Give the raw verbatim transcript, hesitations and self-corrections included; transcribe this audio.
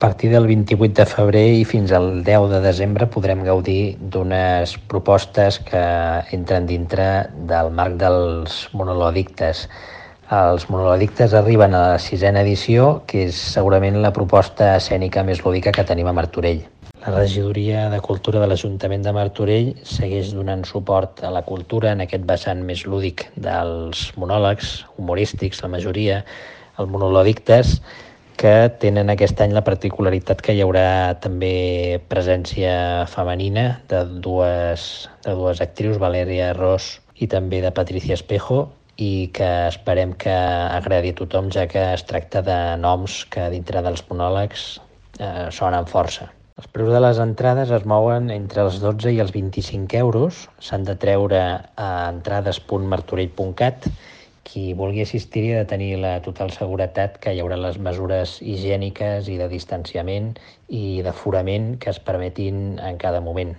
partir del vint-i-vuit de febrer i fins al deu de desembre podrem gaudir d'unes propostes que entren dintre del marc dels monolòdictes. Els monolòdictes arriben a la sisena edició, que és segurament la proposta escènica més lúdica que tenim a Martorell. La Regidoria de Cultura de l'Ajuntament de Martorell segueix donant suport a la cultura en aquest vessant més lúdic dels monòlegs, humorístics, la majoria, els monolòdictes, que tenen aquest any la particularitat que hi haurà també presència femenina de dues, de dues actrius, Valèria Ros i també de Patricia Espejo, i que esperem que agradi a tothom, ja que es tracta de noms que dintre dels monòlegs eh, sonen força. Els preus de les entrades es mouen entre els dotze i els vint-i-cinc euros. S'han de treure a entrades punt martorell punt cat. Qui vulgui assistir-hi ha de tenir la total seguretat que hi haurà les mesures higièniques i de distanciament i d'aforament que es permetin en cada moment.